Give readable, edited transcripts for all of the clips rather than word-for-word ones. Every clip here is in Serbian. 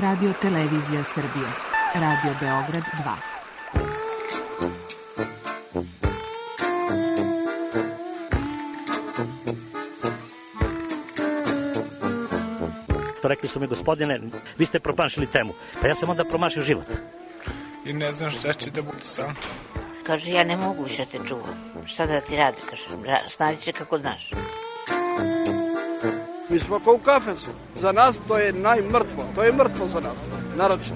Radio Televizija Srbije, Radio Beograd 2. Rekli su mi, gospodine, vi ste promašili temu. Pa ja sam onda promašio život. I ne znam šta će da bude sam. Kaže, ja ne mogu više te čuvam. Šta da ti radi, kaže, snađi se kako znaš. Mi smo kao u kafesu. Za nas to je najmrtvo. To je mrtvo za nas, naročito.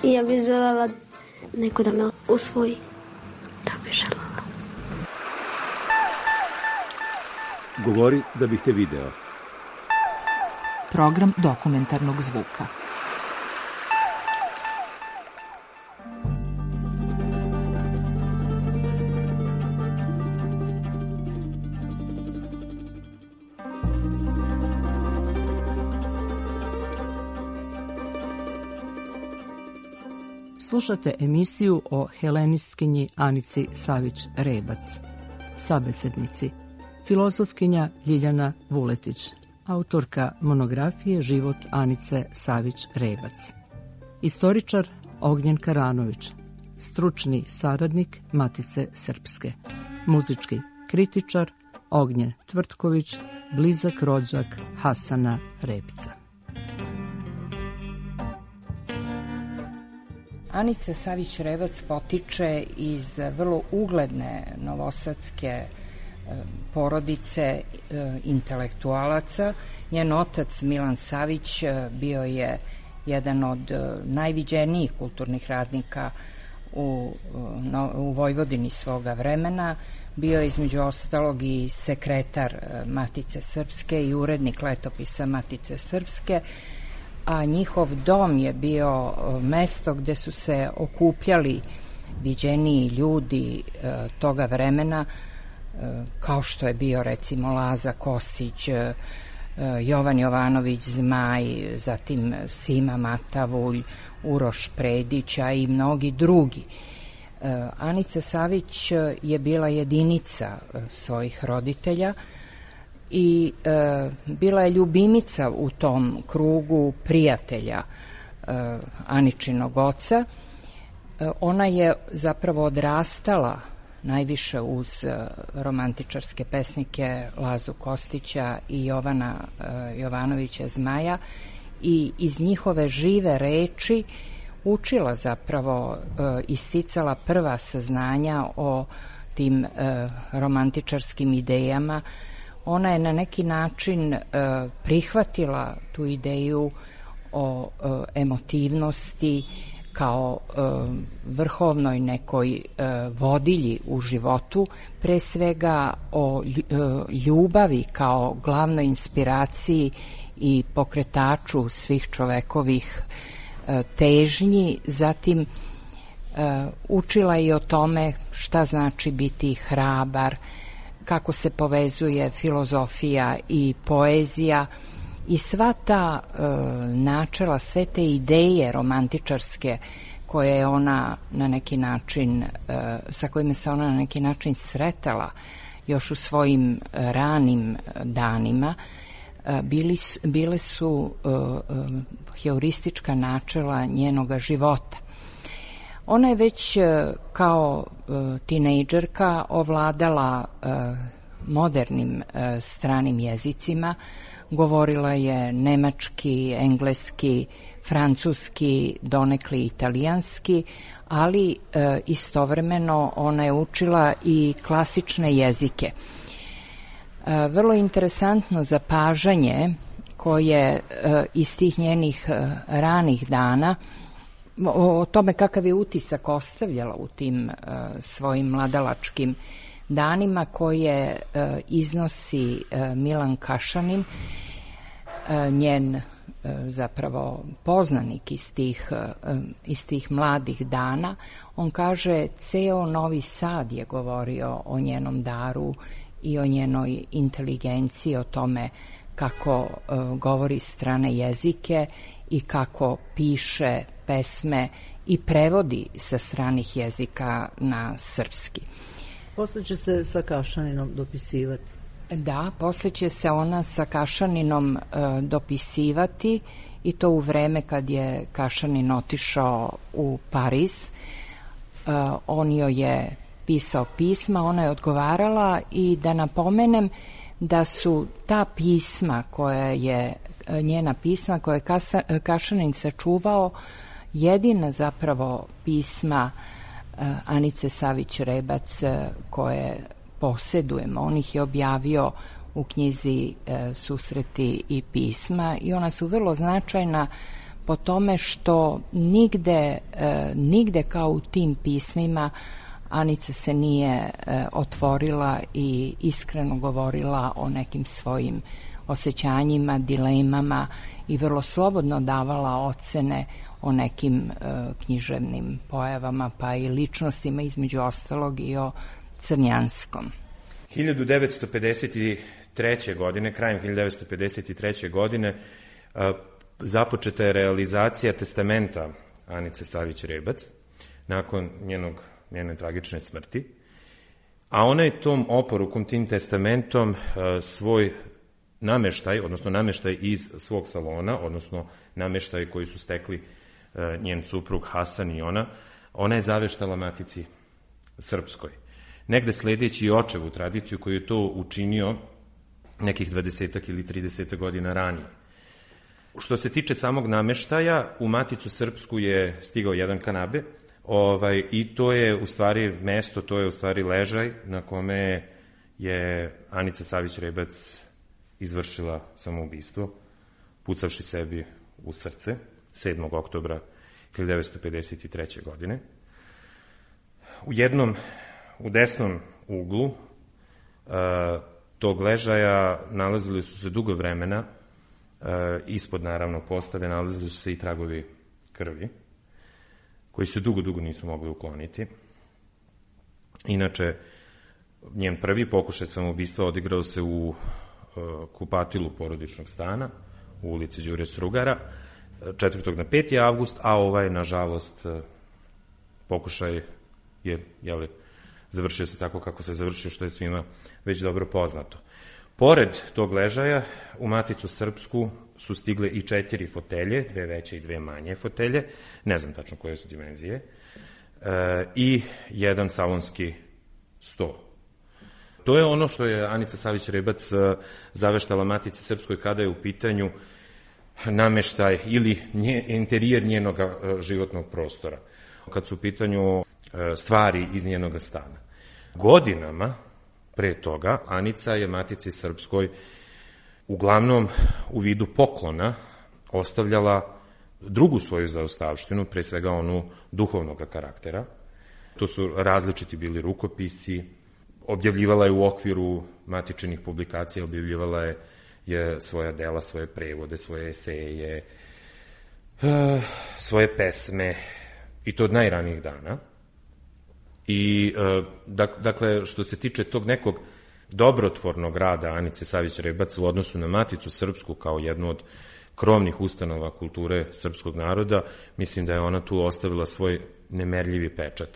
I ja bih želela neko da me usvoji. Da bih želela. Govori da bih te video. Program dokumentarnog zvuka. Slušate emisiju o helenistkinji Anici Savić-Rebac, sabesednici, filozofkinja Ljiljana Vuletić, autorka monografije Život Anice Savić-Rebac, istoričar Ognjen Karanović, stručni saradnik Matice Srpske, muzički kritičar Ognjen Tvrtković, blizak rođak Hasana Repca. Anica Savić-Rebac potiče iz vrlo ugledne novosadske porodice intelektualaca. Njen otac Milan Savić bio je jedan od najviđenijih kulturnih radnika u Vojvodini svoga vremena. Bio je između ostalog i sekretar Matice Srpske i urednik letopisa Matice Srpske, a njihov dom je bio mesto gde su se okupljali viđeniji ljudi toga vremena, kao što je bio recimo Laza Kostić, Jovan Jovanović Zmaj, zatim Sima Matavulj, Uroš Predić, a i mnogi drugi. Anica Savić je bila jedinica svojih roditelja i bila je ljubimica u tom krugu prijatelja Aničinog oca. Ona je zapravo odrastala najviše uz romantičarske pesnike Lazu Kostića i Jovana Jovanovića Zmaja i iz njihove žive reči učila zapravo, isticala prva saznanja o tim romantičarskim idejama. Ona je na neki način prihvatila tu ideju o emotivnosti kao vrhovnoj nekoj vodilji u životu, pre svega o ljubavi kao glavnoj inspiraciji i pokretaču svih čovekovih težnji. Zatim učila i o tome šta znači biti hrabar, kako se povezuje filozofija i poezija i sva ta načela, sve te ideje romantičarske koje je ona na neki način, sa kojima se ona na neki način sretala još u svojim ranim danima, bile su heuristička načela njenoga života. Ona je već kao tinejdžerka ovladala modernim stranim jezicima, govorila je nemački, engleski, francuski, donekli italijanski, ali istovremeno ona je učila i klasične jezike. Vrlo interesantno zapažanje koje iz tih njenih ranih dana o tome kakav je utisak ostavljala u tim svojim mladalačkim danima koje iznosi Milan Kašanin, njen zapravo poznanik iz tih mladih dana. On kaže, ceo Novi Sad je govorio o njenom daru i o njenoj inteligenciji, o tome kako govori strane jezike i kako piše pesme i prevodi sa stranih jezika na srpski. Posle će se sa Kašaninom dopisivati. Da, posle će se ona sa Kašaninom dopisivati i to u vreme kad je Kašanin otišao u Pariz. On joj je pisao pisma, ona je odgovarala i da napomenem da su ta pisma njena pisma koje je Kašanin sačuvao jedina zapravo pisma Anice Savić-Rebac koje posedujemo. On ih je objavio u knjizi Susreti i pisma i ona su vrlo značajna po tome što nigde kao u tim pismima Anica se nije otvorila i iskreno govorila o nekim svojim osjećanjima, dilemama i vrlo slobodno davala ocene o nekim književnim pojavama, pa i ličnostima, između ostalog i o Crnjanskom. 1953. godine, krajem 1953. godine, započeta je realizacija testamenta Anice Savić-Rebac nakon njene tragične smrti, a ona je tom oporukom, tim testamentom svoj nameštaj, odnosno nameštaj iz svog salona, odnosno nameštaj koji su stekli njen suprug Hasan i ona je zaveštala Matici Srpskoj. Negde sledeći očevu tradiciju koju je to učinio nekih 20 ili 30 godina ranije. Što se tiče samog nameštaja, u Maticu Srpsku je stigao jedan kanabe i to je u stvari mesto, to je u stvari ležaj na kome je Anica Savić-Rebac izvršila samoubistvo, pucavši sebi u srce 7. oktobra 1953. godine. U desnom uglu tog ležaja nalazili su se dugo vremena, ispod naravno postave nalazili su se i tragovi krvi, koji se dugo nisu mogli ukloniti. Inače, njen prvi pokušaj samoubistva odigrao se u kupatilu porodičnog stana u ulici Đure Strugara 4. na 5. avgust, a nažalost, pokušaj je, završio se tako kako se završio, što je svima već dobro poznato. Pored tog ležaja, u Maticu Srpsku su stigle i 4 fotelje, 2 veće i 2 manje fotelje, ne znam tačno koje su dimenzije, i jedan salonski sto. To je ono što je Anica Savić-Rebac zaveštala Matici Srpskoj kada je u pitanju nameštaj ili interijer njenog životnog prostora, kad su u pitanju stvari iz njenog stana. Godinama pre toga Anica je Matici Srpskoj uglavnom u vidu poklona ostavljala drugu svoju zaostavštinu, pre svega onu duhovnog karaktera. To su različiti bili rukopisi, objavljivala je u okviru matičnih publikacija, objavljivala je svoja dela, svoje prevode, svoje eseje, svoje pesme, i to od najranijih dana. I, dakle, što se tiče tog nekog dobrotvornog rada Anice Savić-Rebac u odnosu na Maticu Srpsku kao jednu od krovnih ustanova kulture srpskog naroda, mislim da je ona tu ostavila svoj nemerljivi pečat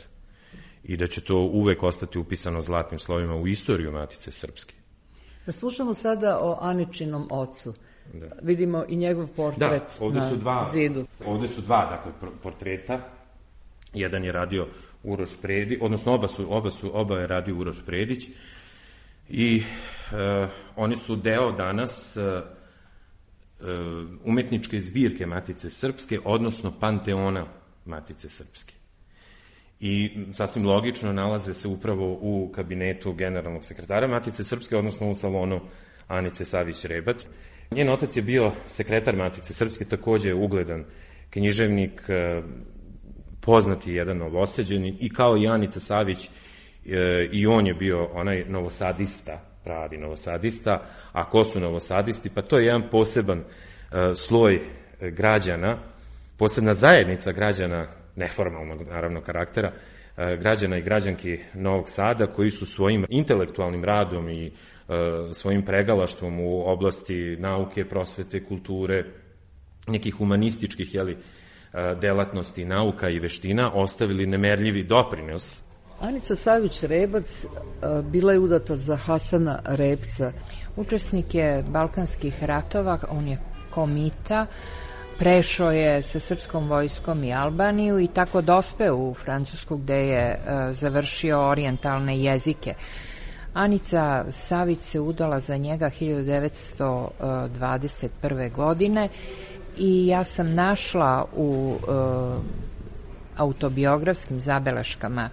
i da će to uvek ostati upisano zlatnim slovima u istoriju Matice Srpske. Slušamo sada o Aničinom ocu. Da. Vidimo i njegov portret na zidu. Ovde su dva, dakle, portreta. Jedan je radio Uroš Predić, odnosno oba je radio Uroš Predić i oni su deo danas umetničke zbirke Matice Srpske, odnosno Panteona Matice Srpske. I sasvim logično nalaze se upravo u kabinetu generalnog sekretara Matice Srpske, odnosno u salonu Anice Savić-Rebac. Njen otac je bio sekretar Matice Srpske, takođe ugledan književnik, poznati jedan Novosađanin, i kao i Anica Savić, i on je bio onaj novosadista, pravi novosadista. A ko su novosadisti? Pa to je jedan poseban sloj građana, posebna zajednica građana, neformalnog naravno karaktera, građana i građanki Novog Sada, koji su svojim intelektualnim radom i svojim pregalaštvom u oblasti nauke, prosvete, kulture, nekih humanističkih delatnosti, nauka i veština ostavili nemerljivi doprinos Anica Savić-Rebac bila je udata za Hasana Repca. Učesnik je Balkanskih ratova, on je komita, prešao je sa srpskom vojskom i Albaniju i tako dospeo u Francusku gde je završio orijentalne jezike. Anica Savić se udala za njega 1921. godine i ja sam našla u autobiografskim zabeleškama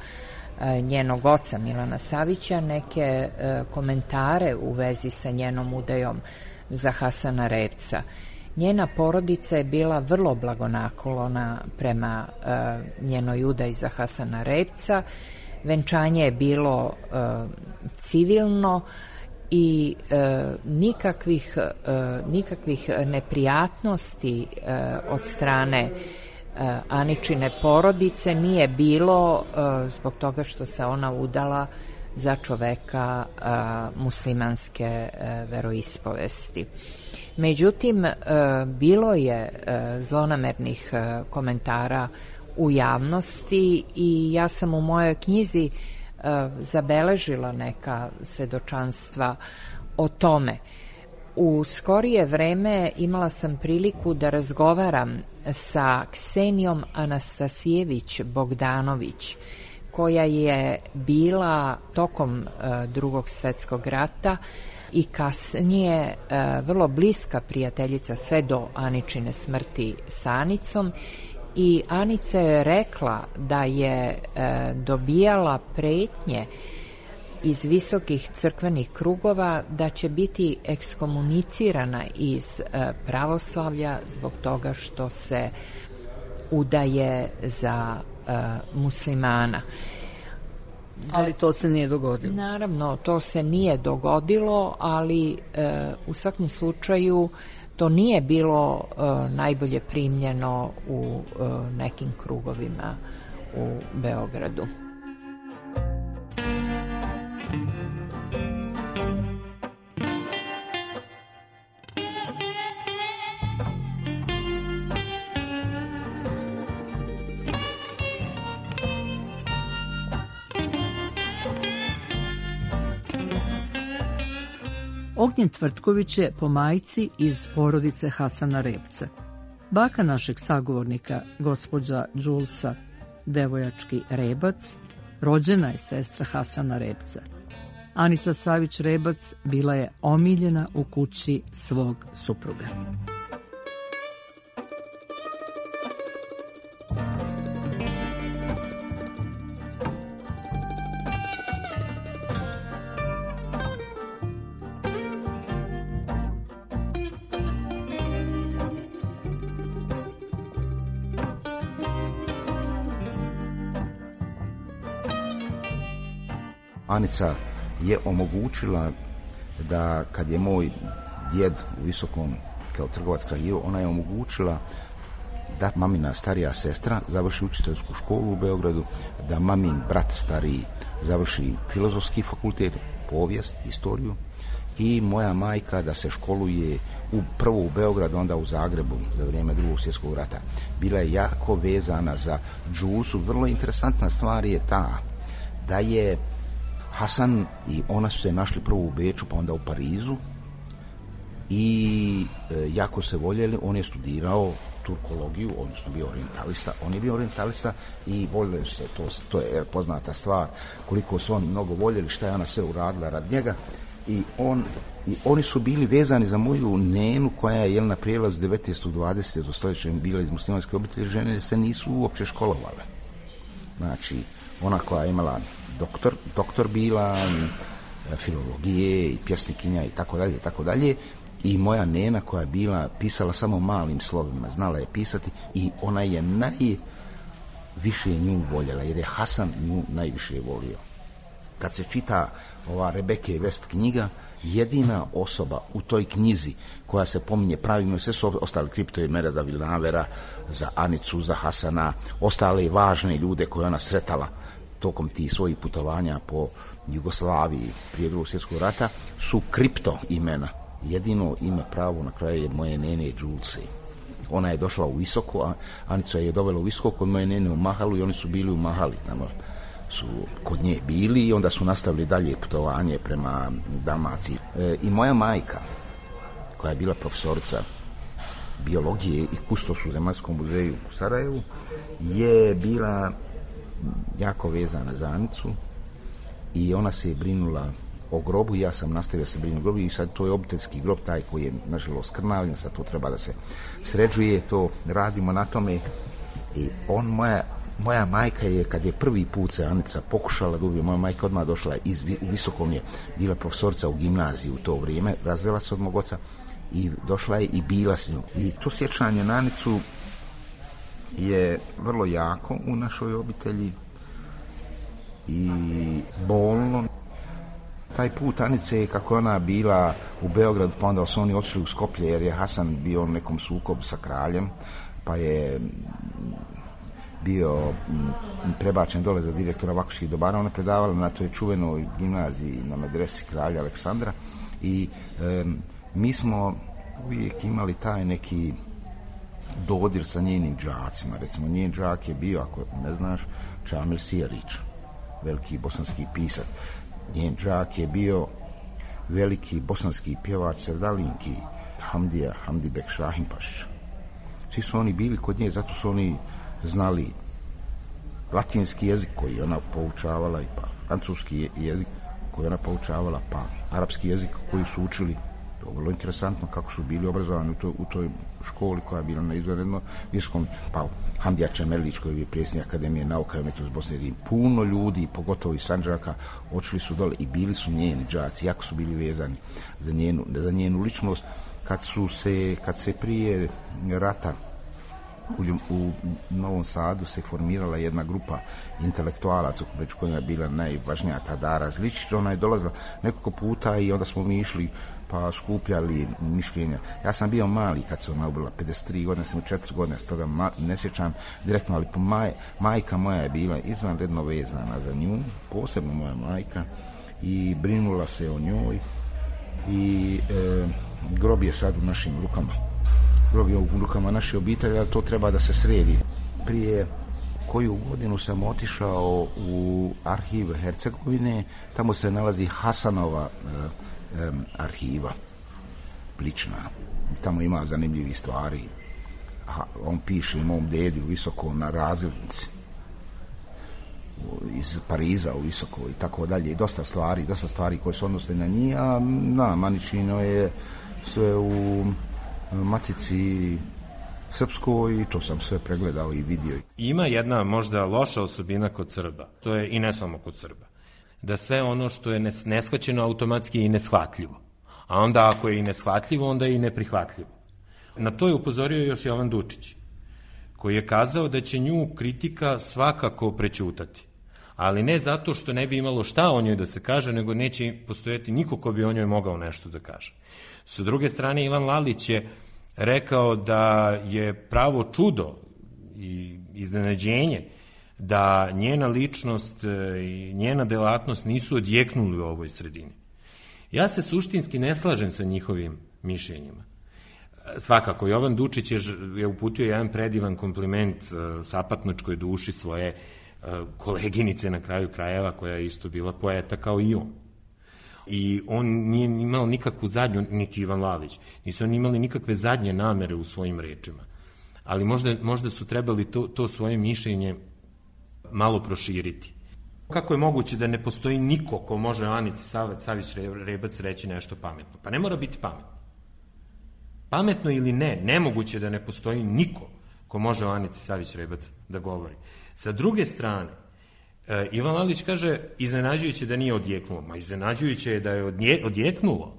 njenog oca Milana Savića neke komentare u vezi sa njenom udajom za Hasana Repca. Njena porodica je bila vrlo blagonaklona prema njenoj udaji za Hasana Repca. Venčanje je bilo civilno i nikakvih neprijatnosti od strane Aničine porodice nije bilo zbog toga što se ona udala za čoveka muslimanske veroispovesti. Međutim, bilo je zlonamernih komentara u javnosti i ja sam u mojoj knjizi zabeležila neka svedočanstva o tome. U skorije vreme imala sam priliku da razgovaram sa Ksenijom Anastasijević Bogdanović, koja je bila tokom Drugog svetskog rata i kasnije vrlo bliska prijateljica sve do Aničine smrti sa Anicom. I Anica je rekla da je dobijala pretnje iz visokih crkvenih krugova da će biti ekskomunicirana iz pravoslavlja zbog toga što se udaje za muslimana. Ali to se nije dogodilo. Naravno, to se nije dogodilo, ali u svakom slučaju to nije bilo najbolje primljeno u nekim krugovima u Beogradu. Ognjen Tvrtković je po majci iz porodice Hasana Repca. Baka našeg sagovornika, gospođa Đulsa Devojački Rebac, rođena je sestra Hasana Repca. Anica Savić-Rebac bila je omiljena u kući svog supruga. Anica je omogućila da kad je moj djed u Visokom kao trgovac kraljivo, ona je omogućila da mamina starija sestra završi učiteljsku školu u Beogradu, da mamin brat stariji završi filozofski fakultet, povijest, istoriju i moja majka da se školuje prvo u Beogradu, onda u Zagrebu za vrijeme Drugog svjetskog rata. Bila je jako vezana za Đulsu. Vrlo interesantna stvar je ta da je Hasan i ona su se našli prvo u Beču, pa onda u Parizu i jako se voljeli. On je studirao turkologiju, odnosno bio orijentalista. On je bio orijentalista i voljeli se, to je poznata stvar, koliko su oni mnogo voljeli, šta je ona sve uradila rad njega. I oni su bili vezani za moju nenu koja je na prijelazu 19. 20. stoljeća bila iz muslimanske obitelji. Žene se nisu uopće školovale. Znači, ona koja je imala doktor bila, filologije i pjesnikinja i tako dalje. I moja nena koja je bila pisala samo malim slovima, znala je pisati i ona je najviše nju voljela, jer je Hasan nju najviše volio. Kad se čita ova Rebeke West knjiga, jedina osoba u toj knjizi koja se pominje pravilno, sve su ostali kriptoje mere za Vilnavera, za Anicu, za Hasana, ostale važne ljude koje ona sretala tokom tih svojih putovanja po Jugoslaviji prije Drugog svjetskog rata, su kripto imena. Jedino ime pravo na kraju je moje nene Đulce. Ona je došla u Visoko, a Anica je dovela u Visoko kod moje nene u Mahalu i oni su bili u Mahali tamo su kod nje bili i onda su nastavili dalje putovanje prema Dalmaciji. I moja majka, koja je bila profesorica biologije i kustos u Zemaljskom muzeju u Sarajevu, je bila jako vezana za Anicu i ona se je brinula o grobu. Ja sam nastavio se brinuti o grobu i sad to je obiteljski grob, taj koji je nažalost skrnavljen, sad to treba da se sređuje, to radimo na tome. I moja majka je, kad je prvi put se Anica pokušala da ubije, moja majka odmah došla u Visokom, je bila profesorica u gimnaziji u to vrijeme, razvela se od mog oca i došla je i bila s njom. I to sjećanje na Anicu je vrlo jako u našoj obitelji i bolno. Taj put Anice, kako ona bila u Beogradu, pa onda su oni otišli u Skoplje jer je Hasan bio u nekom sukobu sa kraljem, pa je bio prebačen dole za direktora Vakuških dobara. Ona predavala na toj čuvenoj gimnaziji na medresi kralja Aleksandra i mi smo uvijek imali taj neki dodir sa njenim đacima. Recimo, njen đak je bio, ako ne znaš, Čamil Sijarić, veliki bosanski pisac. Njen đak je bio veliki bosanski pjevač Sevdalinki, Hamdibek Šahimpašić. Svi su oni bili kod nje, zato su oni znali latinski jezik koji ona poučavala, i pa francuski jezik koji ona poučavala, pa arapski jezik koji su učili. To je vrlo interesantno kako su bili obrazovani u toj školi koja je bila na izvanredno visokom. Pa Hamdija Čemerlić, koji je predsjednik Akademije nauka i umjetnosti Bosne, i puno ljudi, pogotovo iz Sandžaka, otišli su dole i bili su njeni đaci, jako su bili vezani za njenu ličnost. Kad se prije rata u Novom Sadu se formirala jedna grupa intelektualaca, među kojima je bila najvažnija Tadara Zličić, ona je dolazila nekoliko puta i onda smo mi išli pa skupljali mišljenja. Ja sam bio mali kad se ona ubila, 53 godine, sam 4 godine, s toga ne sjećam direktno, ali majka moja je bila izvanredno vezana za nju, posebno moja majka, i brinula se o njoj i grob je sad u našim rukama. Grob je u rukama naše obitelji, ali to treba da se sredi. Prije koju godinu sam otišao u arhiv Hercegovine, tamo se nalazi Hasanova arhiva, lična. Tamo ima zanimljivih stvari. On piše mom dedi u Visokom na razglednici, iz Pariza u Visoko i tako dalje. I dosta stvari koje se odnose na njih, a Maničino je sve u Matici Srpskoj i to sam sve pregledao i vidio. Ima jedna možda loša osobina kod Srba, to je i ne samo kod Srba, da sve ono što je neshvaćeno automatski je i neshvatljivo. A onda ako je i neshvatljivo, onda je i neprihvatljivo. Na to je upozorio još Jovan Dučić, koji je kazao da će nju kritika svakako prećutati. Ali ne zato što ne bi imalo šta o njoj da se kaže, nego neće postojati niko ko bi o njoj mogao nešto da kaže. Sa druge strane, Ivan Lalić je rekao da je pravo čudo i iznenađenje da njena ličnost i njena delatnost nisu odjeknuli u ovoj sredini. Ja se suštinski ne slažem sa njihovim mišljenjima. Svakako, Jovan Dučić je uputio jedan predivan kompliment sapatnočkoj duši svoje koleginice na kraju krajeva, koja je isto bila poeta kao i on. I on nije imao nikakvu zadnju, niti Ivan Lalić, nisu oni imali nikakve zadnje namere u svojim rečima. Ali možda su trebali to svoje mišljenje malo proširiti. Kako je moguće da ne postoji niko ko može Anici Savić Rebac reći nešto pametno? Pa ne mora biti pametno. Pametno ili ne, nemoguće da ne postoji niko ko može o Anici Savić Rebac da govori. Sa druge strane, Ivan Lalić kaže iznenađujuće da nije odjeknulo. Ma iznenađujuće je da je odjeknulo.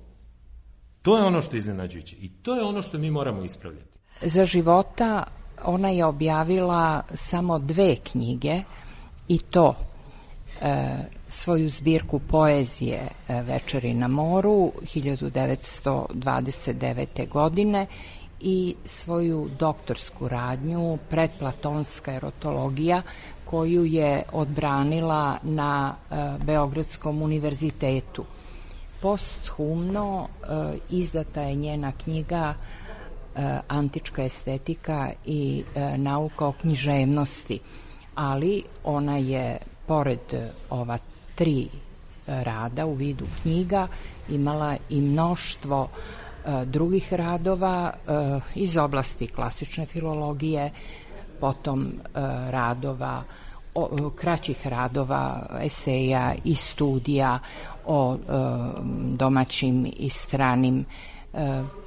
To je ono što je iznenađujuće i to je ono što mi moramo ispravljati. Za života ona je objavila samo 2 knjige i to svoju zbirku poezije Večeri na moru 1929. godine i svoju doktorsku radnju Predplatonska erotologija koju je odbranila na Beogradskom univerzitetu. Posthumno izdata je njena knjiga Antička estetika i nauka o književnosti, ali ona je pored ova 3 rada u vidu knjiga imala i mnoštvo drugih radova iz oblasti klasične filologije, potom radova, kraćih radova, eseja i studija o domaćim i stranim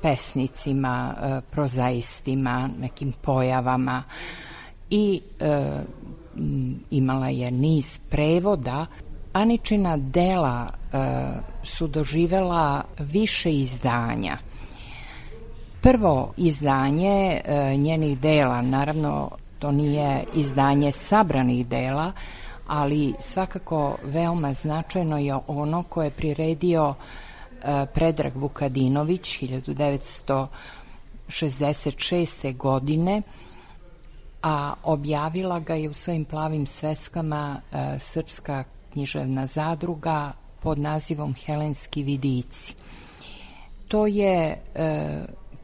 pesnicima, prozaistima, nekim pojavama i imala je niz prevoda. Aničina dela su doživela više izdanja. Prvo izdanje njenih dela, naravno to nije izdanje sabranih dela, ali svakako veoma značajno je ono koje je priredio Predrag Vukadinović 1966. godine, a objavila ga je u svojim plavim sveskama Srpska književna zadruga pod nazivom Helenski vidici. To je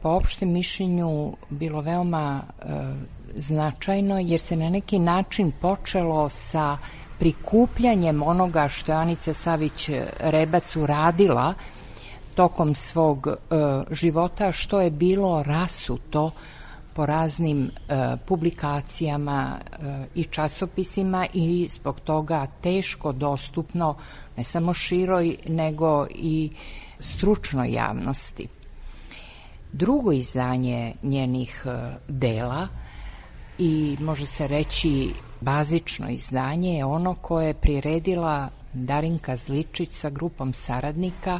po opštem mišljenju bilo veoma značajno, jer se na neki način počelo sa prikupljanjem onoga što je Anica Savić Rebac uradila tokom svog života, što je bilo rasuto po raznim publikacijama i časopisima i zbog toga teško dostupno ne samo široj nego i stručnoj javnosti. Drugo izdanje njenih dela i može se reći bazično izdanje je ono koje je priredila Darinka Zličić sa grupom saradnika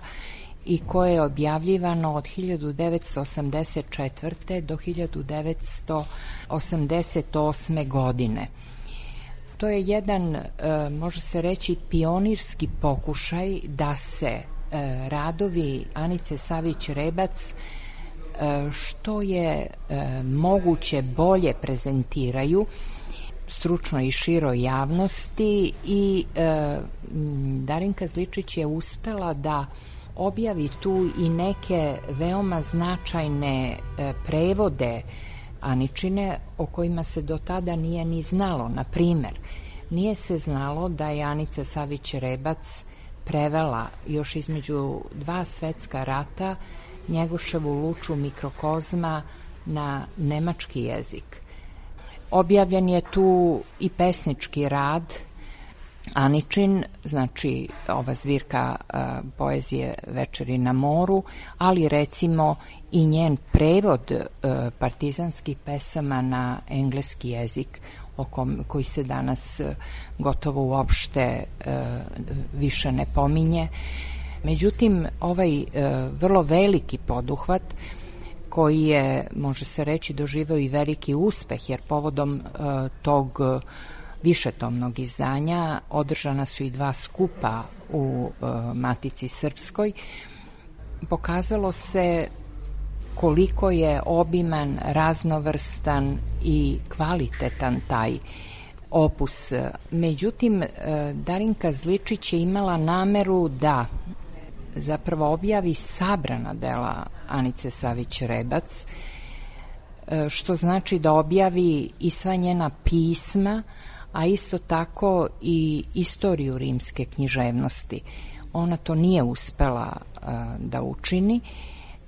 i koje je objavljivano od 1984. do 1988. godine. To je jedan, može se reći, pionirski pokušaj da se radovi Anice Savić Rebac što je moguće bolje prezentiraju stručnoj i široj javnosti i Darinka Zličić je uspela da objavi tu i neke veoma značajne prevode Aničine o kojima se do tada nije ni znalo. Na primer, nije se znalo da je Anica Savić Rebac prevela još između 2 svetska rata Njegoševu Luču Mikrokozma na nemački jezik. Objavljen je tu i pesnički rad Aničin, znači ova zbirka poezije Večeri na moru, ali recimo i njen prevod partizanskih pesama na engleski jezik, koji se danas gotovo uopšte više ne pominje. Međutim, ovaj vrlo veliki poduhvat koji je, može se reći, doživeo i veliki uspeh, jer povodom tog višetomnog izdanja održana su i 2 skupa u Matici Srpskoj, pokazalo se koliko je obiman, raznovrstan i kvalitetan taj opus. Međutim, Darinka Zličić je imala nameru da zapravo objavi sabrana dela Anice Savić Rebac, što znači da objavi i sva njena pisma, a isto tako i istoriju rimske književnosti. Ona to nije uspela da učini,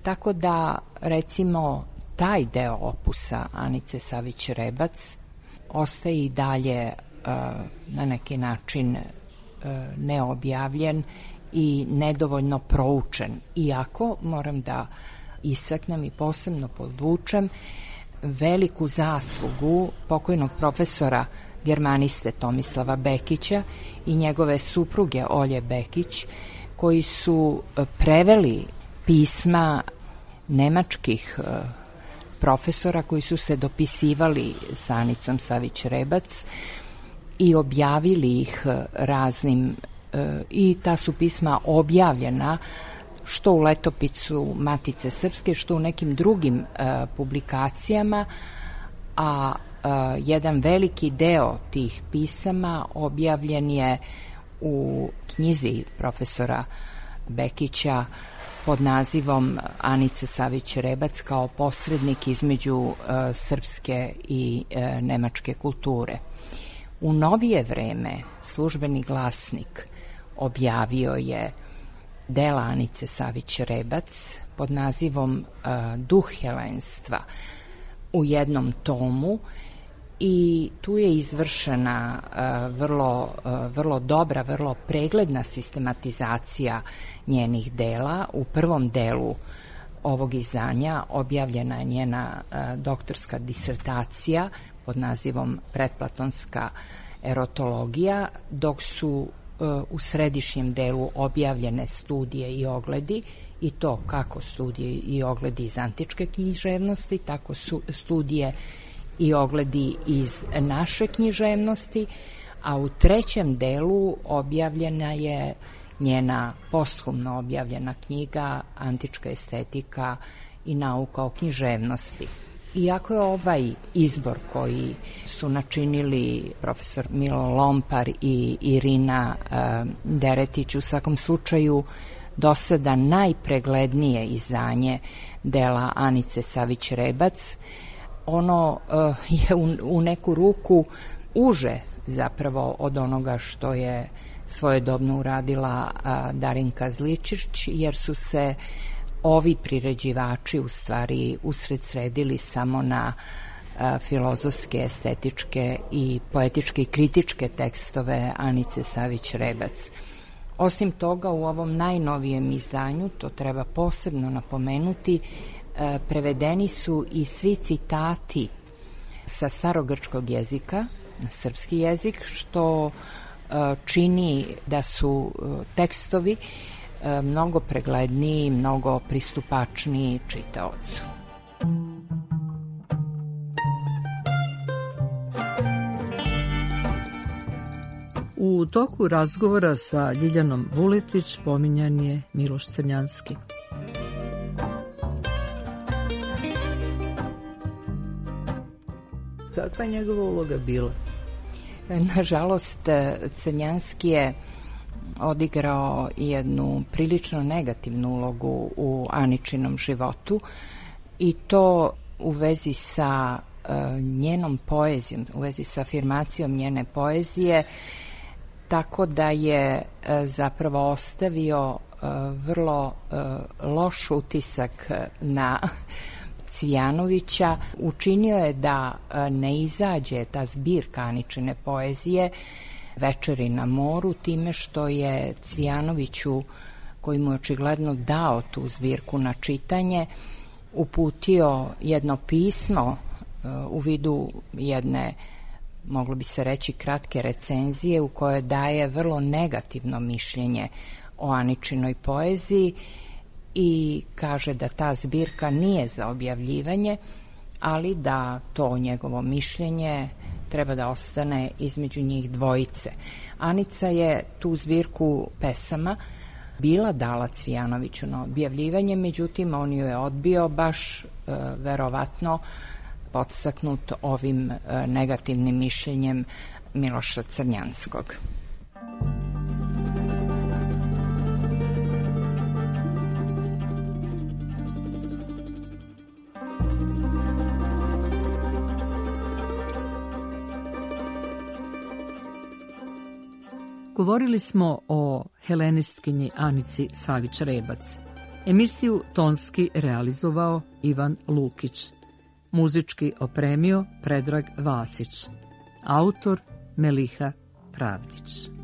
tako da, recimo, taj deo opusa Anice Savić Rebac ostaje i dalje na neki način neobjavljen i nedovoljno proučen. Iako, moram da istaknem i posebno podvučem veliku zaslugu pokojnog profesora germaniste Tomislava Bekića i njegove supruge Olje Bekić, koji su preveli pisma nemačkih profesora koji su se dopisivali sa Anicom Savić Rebac i objavili ih raznim, i ta su pisma objavljena što u letopisu Matice Srpske, što u nekim drugim publikacijama, a jedan veliki deo tih pisama objavljen je u knjizi profesora Bekića pod nazivom Anice Savić Rebac kao posrednik između srpske i nemačke kulture. U novije vreme Službeni glasnik objavio je dela Anice Savić-Rebac pod nazivom Duh helenstva u jednom tomu i tu je izvršena vrlo dobra, vrlo pregledna sistematizacija njenih dela. U prvom delu ovog izdanja objavljena je njena doktorska disertacija pod nazivom Pretplatonska erotologija, dok su u središnjem delu objavljene studije i ogledi, i to kako studije i ogledi iz antičke književnosti, tako su studije i ogledi iz naše književnosti, a u trećem delu objavljena je njena posthumno objavljena knjiga Antička estetika i nauka o književnosti. Iako je ovaj izbor koji su načinili profesor Milo Lompar i Irina Deretić u svakom slučaju do sada najpreglednije izdanje dela Anice Savić-Rebac, ono je u neku ruku uže zapravo od onoga što je svojedobno uradila Darinka Zličić, jer su se ovi priređivači u stvari usredsredili samo na filozofske, estetičke i poetičke i kritičke tekstove Anice Savić-Rebac. Osim toga, u ovom najnovijem izdanju, to treba posebno napomenuti, prevedeni su i svi citati sa starogrčkog jezika na srpski jezik, što čini da su tekstovi mnogo pregledniji, mnogo pristupačniji čitaocu. U toku razgovora sa Ljiljanom Vuletić pominjan je Miloš Crnjanski. Kakva je njegova uloga bila? Nažalost, Crnjanski je odigrao jednu prilično negativnu ulogu u Aničinom životu, i to u vezi sa njenom poezijom, u vezi sa afirmacijom njene poezije, tako da je zapravo ostavio vrlo loš utisak na Cvijanovića. Učinio je da ne izađe ta zbirka Aničine poezije Večeri na moru, time što je Cvijanoviću, koji mu je očigledno dao tu zbirku na čitanje, uputio jedno pismo u vidu jedne, moglo bi se reći, kratke recenzije u kojoj daje vrlo negativno mišljenje o Aničinoj poeziji i kaže da ta zbirka nije za objavljivanje, ali da to njegovo mišljenje treba da ostane između njih dvojice. Anica je tu zbirku pesama bila dala Cvijanoviću na objavljivanje, međutim on ju je odbio, baš verovatno podstaknut ovim negativnim mišljenjem Miloša Crnjanskog. Govorili smo o helenistkinji Anici Savić-Rebac. Emisiju tonski realizovao Ivan Lukić. Muzički opremio Predrag Vasić. Autor Meliha Pravdić.